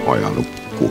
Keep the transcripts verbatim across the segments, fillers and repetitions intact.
ajalukku.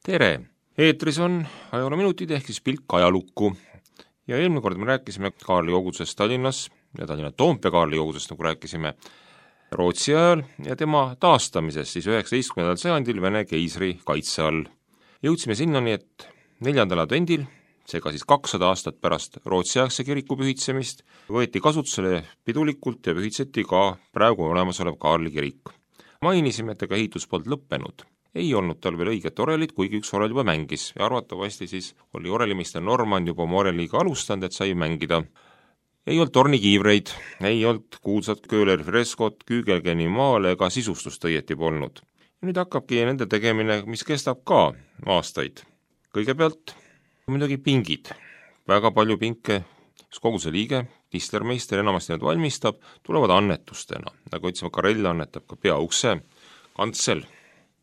tere! Eetris on ajaloominutid ehk siis pilk ajalukku. Ja eelmine kord me rääkisime Kaarli kogudusest Tallinnas ja Tallinna Toompea Kaarli kogudusest, nagu rääkisime Rootsi ajal ja tema taastamisest siis üheksateistkümnendal sajandil Vene keisri kaitse all. Jõudsime sinnani, et neljandal advendil, seega siis kakssada aastat pärast Rootsi-aegse kiriku pühitsemist, võeti kasutusele pidulikult ja pühitseti ka praegu olemasolev Kaarli kirik. Mainisime, et ega ehitus polnud lõppenud. Ei olnud tal veel õiget orelit, kuigi üks orel juba mängis ja arvatavasti siis oli orelimiste Norman juba oma oreliga alustanud, et sai mängida. Ei olnud tornikiivreid, ei olnud kuulsat Köhleri freskot, Kügelgeni maale ega sisustust õieti polnud. Ja nüüd hakkabki nende tegemine, mis kestab ka aastaid. Kõigepealt muidugi pingid. Väga palju pinke, kogu see liige, Tislermeister enamasti need valmistab, tulevad annetustena. Nagu ütlesime, Karell annetab ka peaukse, kantsel,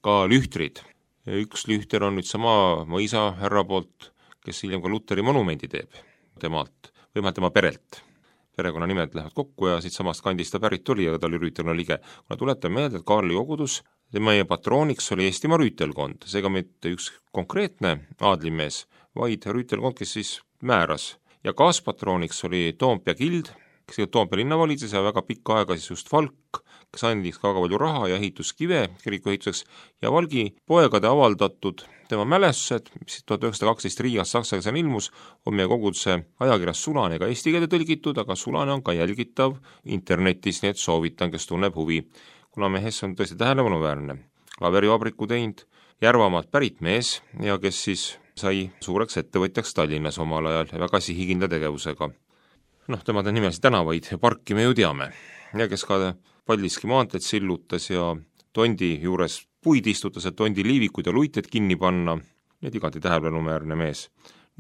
ka lühtrid. Üks lühter on nüüd sama mõisa härra poolt, kes hiljem ka Luteri monumendi teeb temalt, või tema perelt. Perekonna nimed lähevad kokku ja siit samast kandist ta pärit tuli, aga ta oli rüütelkonna liige. Kuna tuletan meelde, et Kaarli kogudus, meie patrooniks oli Eestimaa rüütelkond, seega mitte üks konkreetne aadlimees, vaid rüütelkond, kes siis määras. Ja kaaspatrooniks oli Toompea kild, kes Toompea linna valitses ja väga pikka aega siis just Valk, kes andis ka palju raha ja ehituskive kiriku ehituseks ja Valgi poegade avaldatud tema mälestused, mis tuhat üheksasada kaksteist Riigas saksa keeles ilmus, on meie koguduse ajakirjas Sulane ka eesti keelde tõlgitud, aga Sulane on ka jälgitav internetis, nii et soovitan, kes tunneb huvi. Kuna mehes on tõesti tähelepanuväärne, klaverivabriku teinud, Järvamaalt pärit mees ja kes siis sai suureks ettevõtjaks Tallinnas omal ajal ja väga sihikindla tegevusega. Noh, temade nimelisi tänavaid ja parki me ju teame ja kes ka Paldiski maanteed sillutas ja tondi juures puid istutas, et tondi liivikud ja luited kinni panna, need igati tähelepanuväärne mees.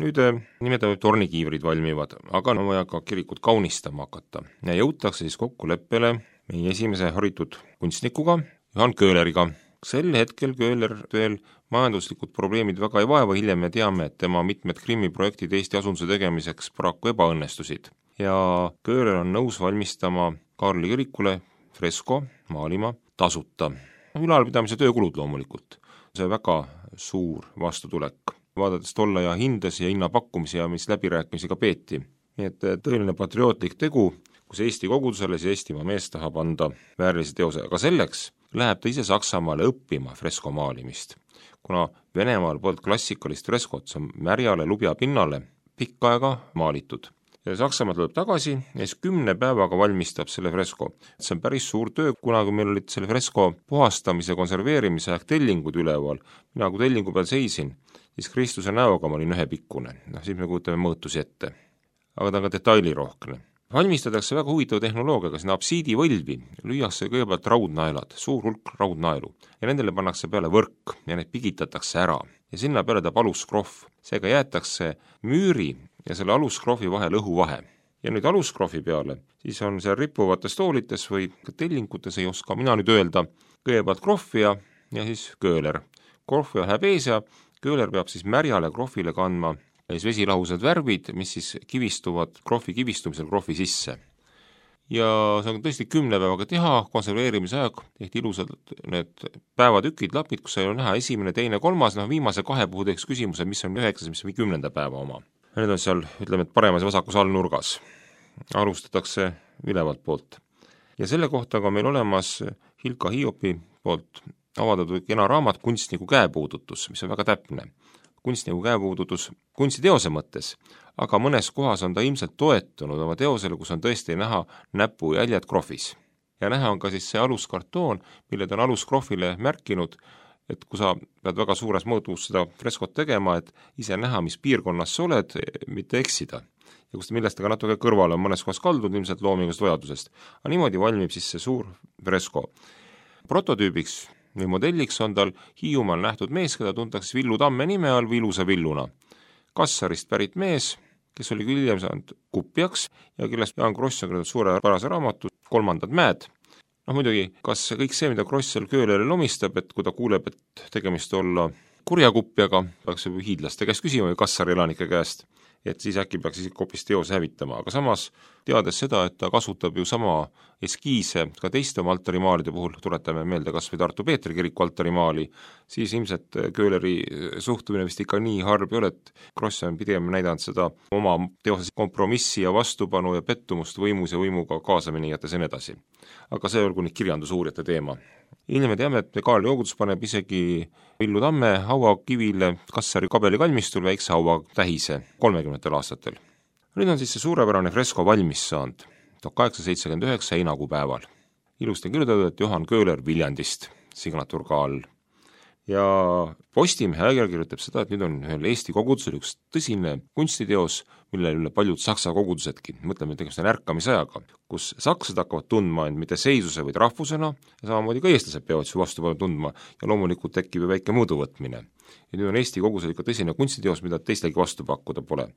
Nüüd nimetame tornikiivrid valmivad, aga on vaja ka kirikut kaunistama hakata ja jõutakse siis kokkuleppele meie esimese haritud kunstnikuga, Johan Köhleriga. Sel hetkel Köhler veel majanduslikud probleemid väga ei vaeva, hiljem me teame, et tema mitmed Krimmi projektid Eesti asunduse tegemiseks paraku ebaõnnestusid. Ja Köhler on nõus valmistama Kaarli kirikule fresko maalima tasuta. Ülalpidamise töökulud loomulikult. See väga suur vastutulek. Vaadates tolle ja hindas ja hinnapakkumisi ja mis läbirääkimisi ka peeti. Nii et tõeline patriootlik tegu, kus Eesti kogudusele see Eestimaa mees tahab anda väärilise teose. Aga selleks läheb ta ise Saksamaale õppima fresko maalimist. Kuna Venemaal polnud klassikalist freskot, see on märjale lubja pinnale pikka aega maalitud. Ja Saksamaa tuleb tagasi ja siis kümne päevaga valmistab selle fresko. See on päris suur töö, kuna kui meil olid selle fresko puhastamise ja konserveerimise aeg tellingud üleval, mina kui tellingu peal seisin, siis Kristuse näoga ma olin ühepikkune. No, siis me kujutame mõõtusi ette. Aga ta on ka detailirohkne. Valmistatakse väga huvitav tehnoloogiaga, sinna absiidi võlvi lüüakse kõigepealt raudnaelad, suur hulk raudnaelu ja nendele pannakse peale võrk ja need pigitatakse ära ja sinna peale ta aluskrohv. Seega jäetakse müüri ja selle aluskrohvi vahel õhuvahe. Ja nüüd aluskrohvi peale, siis on seal rippuvates toolites või tellingutes ei oska mina nüüd öelda, kõigepealt krohvija ja siis Köhler. Krohvija läheb ees ja Köhler peab siis märjale krohvile kandma ja siis vesilahused värvid, mis siis kivistuvad krohvi kivistumisel krohvi sisse. Ja see on tõesti kümne päevaga teha, konserveerimise aeg, tehti ilusad need päevatükid, lapid, kus ei ole näha esimene, teine, kolmas, noh viimase kahe puhul teeks küsimuse, mis on üheksas, mis on kümnenda päeva oma. Need on seal, ütleme, et paremas ja vasakus allnurgas. Alustatakse ülevalt poolt. Ja selle kohta ka meil olemas Hilka Hiopi poolt avaldatud kena raamat Kunstniku käepuudutus, mis on väga täpne. Kunstniku käepuudutus kunstiteose mõttes, aga mõnes kohas on ta ilmselt toetunud oma teosele, kus on tõesti näha näpujäljed krohvis. Ja näha on ka siis see aluskartoon, mille ta on aluskrohvile märkinud, et kui sa pead väga suures mõõtus seda freskot tegema, et ise näha, mis piirkonnas sa oled, mitte eksida. Ja kus millest ka natuke kõrvale on mõnes kohas kaldud ilmselt loomingust vajadusest. Aga niimoodi valmib siis see suur fresko. Prototüübiks või modelliks on tal Hiiumaal nähtud mees, keda tuntakse Villu Tamme nime all Vilusa Villuna. Kassarist pärit mees, kes oli küll hiljem saanud kupjaks ja kellest Jaan Kross on kirjutanud suure pärase raamatu Kolmandad mäed. Noh muidugi, kas kõik see, mida Kross seal Köhlerile omistab, et kui ta kuuleb, et tegemist olla kurjakupjaga, peaks ju hiidlaste käest küsima või Kassari elanike käest, et siis äkki peaks isegi hoopis teose hävitama, aga samas teades seda, et ta kasutab ju sama eskiise ka teiste oma altarimaalide puhul, tuletame meelde kas või Tartu Peetri kiriku altarimaali, siis ilmselt Köhleri suhtumine vist ikka nii harb ei ole, et Kross on pigem näidanud seda oma teoses kompromissi ja vastupanu ja pettumust võimus ja võimuga kaasaminejates ja nii edasi. Aga see olgu nüüd kirjandusuurijate teema. Hiljem me teame, et Kaarli Ogutus paneb isegi Villu Tamme hauakivile Kassari kabeli kalmistul väikse haua tähise kolmekümnendatel aastatel. Nüüd on siis see suurepärane fresko valmis saanud tuhat kaheksasada seitsekümmend üheksa heinakuu päeval. Ilusti on kirjutatud, et Johan Köhler Viljandist, signatuur ka all. Ja Postimehe ajakirja kirjutab seda, et nüüd on ühel Eesti kogudusel üks tõsine kunstiteos, mille üle paljud saksa kogudusedki, mõtleme tegemist on ärkamisajaga, kus sakslased hakkavad tundma end mitte seisuse või rahvusena ja samamoodi ka eestlased peavad ju vastu tundma ja loomulikult tekib ju väike mõõduvõtmine. Ja nüüd on Eesti kogudusel ikka tõsine kunstiteos, mida teistelgi vastu pakkuda pole.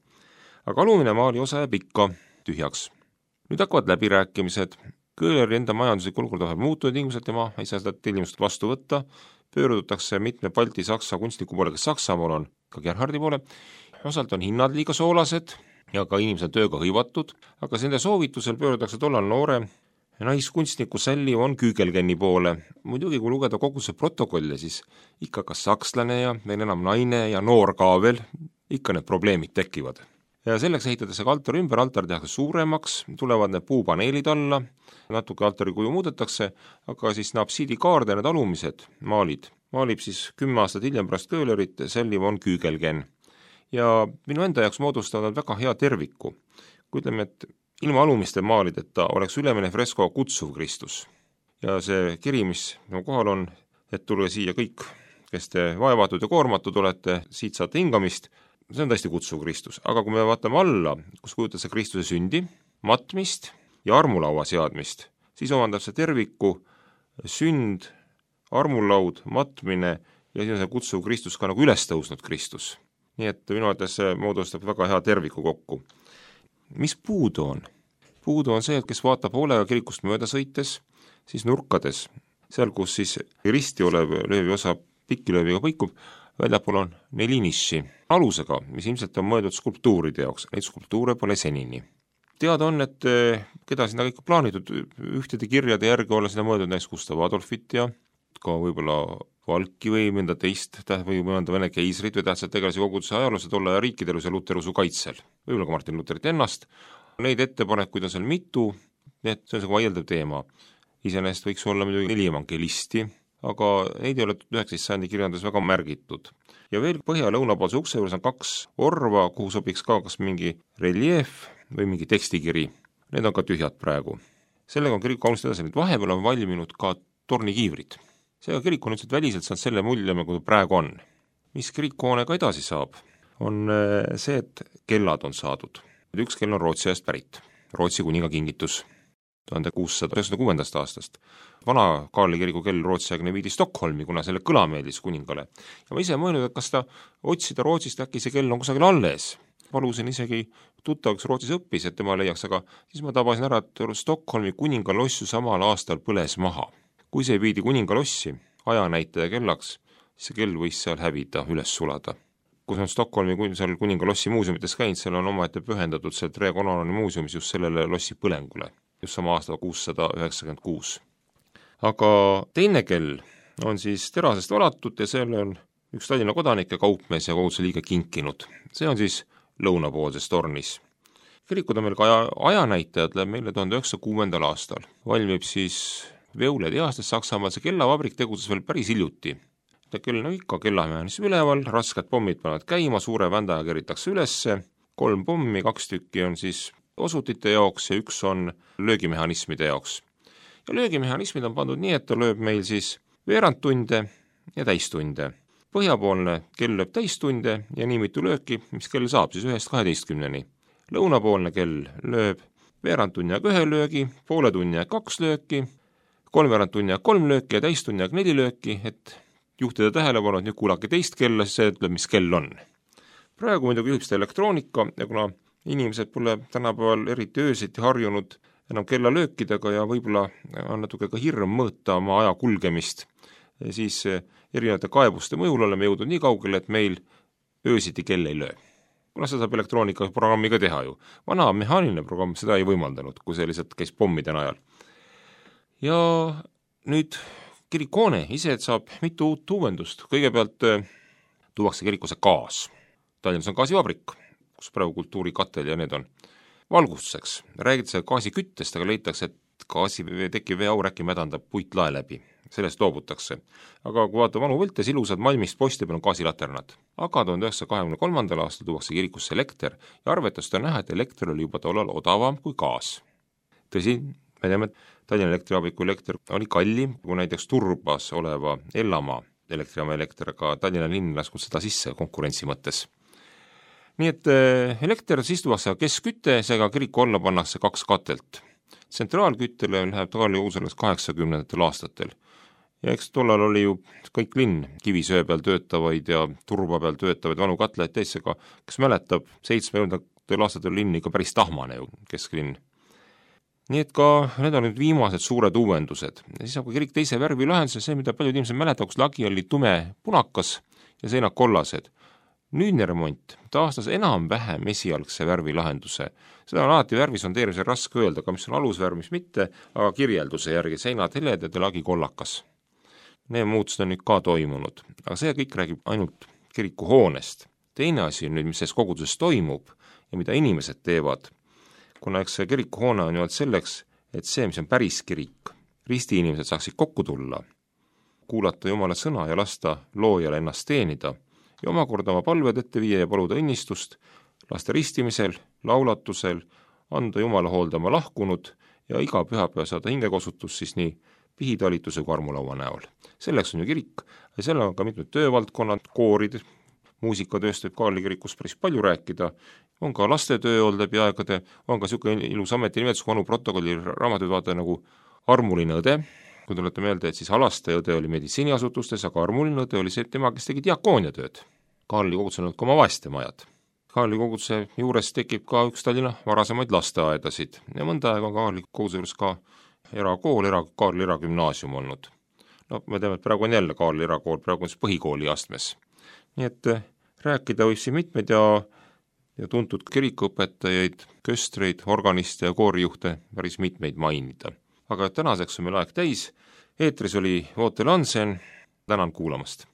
Aga alumine maali osa jääb ikka tühjaks. Nüüd hakkavad läbirääkimised, Köhleri enda majanduslik olukord vahel muutunud tingimused, tema ei saa seda tellimust vastu võtta, pöördutakse mitme Balti saksa kunstniku poole, kes Saksamaal on, ka Gerhardi poole, osalt on hinnad liiga soolased ja ka inimesed tööga hõivatud, aga nende soovitusel pöördutakse tollal noore naiskunstniku Sally von Kügelgeni poole. Muidugi, kui lugeda kogu see protokolle, siis ikka kas sakslane ja veel enam naine ja noor ka veel, ikka need probleemid tekivad. Ja selleks ehitatakse ka altar ümber, altar tehakse suuremaks, tulevad need puupaneelid alla, natuke altari kuju muudetakse, aga siis napsiidi kaarde need alumised maalid maalib siis kümme aastat hiljem pärast Köhlerit Sally von Kügelgen. Ja minu enda jaoks moodustavad väga hea terviku. Kui ütleme, et ilma alumiste maalideta oleks ülemine fresko Kutsuv Kristus. Ja see kiri, mis no kohal on, et tulge siia kõik, kes te vaevatud ja koormatud olete, siit saate hingamist, see on tõesti Kutsuv Kristus. Aga kui me vaatame alla, kus kujutab see Kristuse sündi, matmist ja armulaua seadmist, siis omandab see terviku sünd, armulaud, matmine ja siis on see Kutsuv Kristus ka nagu üles tõusnud Kristus. Nii et minu arvates see moodustab väga hea terviku kokku. Mis puudu on? Puudu on see, et kes vaatab hoolega kirikust mööda sõites, siis nurkades, seal kus siis risti olev löövi osa pikilööviga põikub, väljapool on neli niši alusega, mis ilmselt on mõeldud skulptuuride jaoks, neid skulptuure pole senini. Teada on, et keda sinna kõik plaanitud, ühtede kirjade järgi olla sinna mõeldud näiteks Gustav Adolfit ja ka võib-olla Valki või mõnda teist või mõnda vene keisrit või tähtsad tegelasi koguduse ajaloosse tolle ja riikideluse luterusu kaitsel, võib-olla ka Martin Lutherit ennast. Neid ettepanekuid on seal mitu, need see on see vaieldav teema. Iseenesest võiks olla muidugi neli evangelisti, aga neid ei ole üheksateistkümnenda sajandi kirjandus väga märgitud. Ja veel põhja- ja lõunapoolse ukse juures on kaks orva, kuhu sobiks ka kas mingi reljeef või mingi tekstikiri. Need on ka tühjad praegu. Sellega on kirik kaunist edasi, nüüd vahepeal on valminud ka tornikiivrid. Seega kirik on üldse väliselt saanud selle mulje, kui praegu on. Mis kirikhoonega edasi saab, on see, et kellad on saadud. Üks kell on Rootsi ajast pärit, Rootsi kuninga kingitus tuhande kuussada üheksakümne kuuendast aastast. Vana Kaarli kiriku kell Rootsi aegne viidi Stockholmi, kuna selle kõla meeldis kuningale. Ja ma ise mõelnud, et kas ta otsida Rootsist, äkki see kell on kusagil alles. Palusin isegi tuttav, kes Rootsis õppis, et tema leiaks, aga siis ma tabasin ära, et Stockholmi kuningalossu samal aastal põles maha. Kui see viidi kuningalossi ajanäitaja kellaks, siis see kell võis seal hävida, üles sulada. Kus on Stockholmi seal kuningalossi muuseumites käinud, seal on omaette pühendatud seal Tre Colonnade muuseumis just sellele lossi põlengule, just sama aasta kuussada üheksakümmend kuus. Aga teine kell on siis terasest valatud ja selle on üks Tallinna kodanik ja kaupmees ja koguduse liige kinkinud. See on siis lõunapoolses tornis. Kirikud on meil ka ajanäitajad läheb meile tuhande üheksasaja kuuendal aastal. Valmib siis Veule tehastes Saksamaal, see kellavabrik tegutses veel päris hiljuti. Ta kell on ikka kellamehhanism üleval, rasked pommid panevad käima, suure vändaja keritakse ülesse, kolm pommi, kaks tükki on siis osutite jaoks ja üks on löögimehhanismide jaoks. Ja löögimehhanismid on pandud nii, et ta lööb meil siis veerand tunde ja täistunde. Põhjapoolne kell lööb täistunde ja nii mitu lööki, mis kell saab siis ühest kaheteistkümneni. Lõunapoolne kell lööb veerand tunni aeg ühe löögi, poole tunni aeg kaks lööki, kolmveerand tunni aeg kolm lööki ja täistunni aeg neli lööki, et juhtida tähelepanu, et nüüd kuulake teist kella, siis see ütleb, mis kell on. Praegu muidugi juhib seda elektroonika ja kuna inimesed pole tänapäeval eriti öösiti harjunud enam kella löökidega ja võib-olla on natuke ka hirm mõõta oma aja kulgemist, siis erinevate kaebuste mõjul oleme jõudnud nii kaugele, et meil öösiti kell ei löö. Kuna seda saab elektroonikaprogrammiga teha ju. Vana mehaaniline programm seda ei võimaldanud, kui see lihtsalt käis pommide najal. Ja nüüd kirikuhoone ise saab mitu uut uuendust. Kõigepealt tuuakse kirikusse gaas. Tallinnas on gaasivabrik, kus praegu kultuurikatel ja need on valgustuseks. Räägitakse gaasiküttest, aga leitakse, et gaasi tekkiv veeaur äkki mädandab puitlae läbi. Sellest loobutakse. Aga kui vaata vanu võltes ilusad malmist posti peal on gaasilaternad. Aga tuhande üheksasaja kahekümne kolmandal aastal tuuakse kirikusse elekter ja arvetust on näha, et elekter oli juba tollal odavam kui gaas. Tõsi, me teame, et Tallinna elektrivabriku elekter oli kallim kui näiteks Turbas oleva Ellamaa elektrijaama elekter, aga Tallinna linn lasknud seda sisse konkurentsi mõttes. Nii et elekter siis tuuakse keskkütte, seega kiriku alla pannakse kaks katelt. Tsentraalküttele läheb Kaarli kogudusele kaheksakümnendatel aastatel. Ja eks tollal oli ju kõik linn kivisöe peal töötavaid ja turba peal töötavaid vanu katleid teisega, kes mäletab, seitsmekümnendatel aastatel linn ikka päris tahmane ju, kesklinn. Nii et ka need on nüüd viimased suured uuendused. Ja siis saab ka kirik teise värvi lahenduse, see, mida paljud inimesed mäletab, kus lagi oli tume punakas ja seinad kollased. Nüüdne remont taastas enam-vähem esialgse värvi lahenduse. Seda on alati värvisondeerimisel raske öelda, aga mis on alusvärv, mis mitte, aga kirjelduse järgi seinad heledad ja lagi kollakas. Need muutused on nüüd ka toimunud, aga see kõik räägib ainult kirikuhoonest. Teine asi on nüüd, mis selles koguduses toimub ja mida inimesed teevad, kuna eks see kirikuhoone on ju selleks, et see, mis on päris kirik, risti inimesed saaksid kokku tulla, kuulata Jumala sõna ja lasta loojale ennast teenida ja omakorda oma palved ette viia ja paluda õnnistust, laste ristimisel, laulatusel, anda Jumala hooldama lahkunud ja iga pühapäev saada hingekosutus siis nii pihitalituse kui armulaua näol. Selleks on ju kirik ja seal on ka mitmed töövaldkonnad, koorid, muusikatööst võib Kaarli kirikus päris palju rääkida, on ka lastetöö olnud läbi aegade, on ka niisugune ilus ametinimetus, kui vanu protokolli raamatud vaata nagu armuline õde, kui tulete meelde, et siis alaste õde oli meditsiiniasutustes, aga armuline õde oli see tema, kes tegi diakooniatööd. Kaarli kogudusel on ka oma vaestemajad. Kaarli koguduse juures tekib ka üks Tallinna varasemaid lasteaedasid ja mõnda aega on Kaarli koguduse juures ka erakool, era, Kaarli eragümnaasium olnud. No me teame, et praegu on jälle Kaarli erakool, praegu on siis põhikooli astmes. Nii et rääkida võib siin mitmeid ja, ja tuntud kirikuõpetajaid, köstreid, organiste ja koorijuhte päris mitmeid mainida. Aga tänaseks on meil aeg täis. Eetris oli Vootel Hansen. Tänan kuulamast.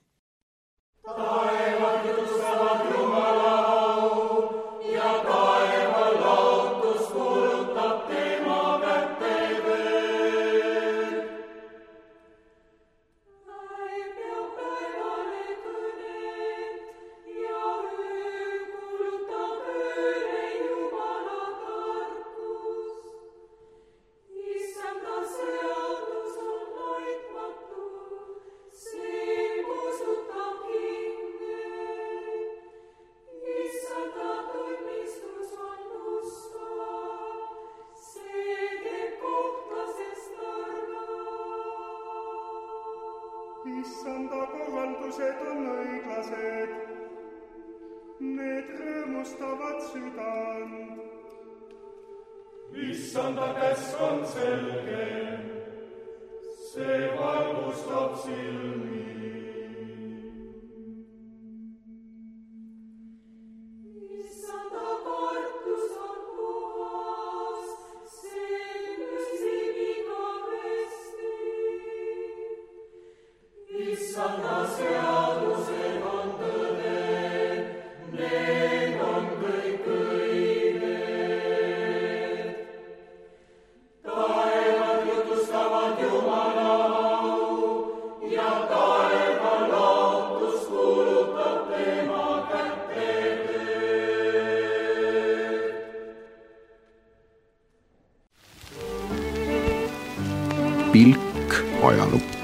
Issanda kohaldused on õiglased, need rõõmustavad südant. Issanda käsk on selge, see valgustab silmi. Issanda kartus on puhas, see püsib igavesti. Issanda seadused on tõde, need on kõik õiged. Taevad jutustavad Jumala au ja taeva lootus kuulutab tema kätte tööd. Pilk ajalukku.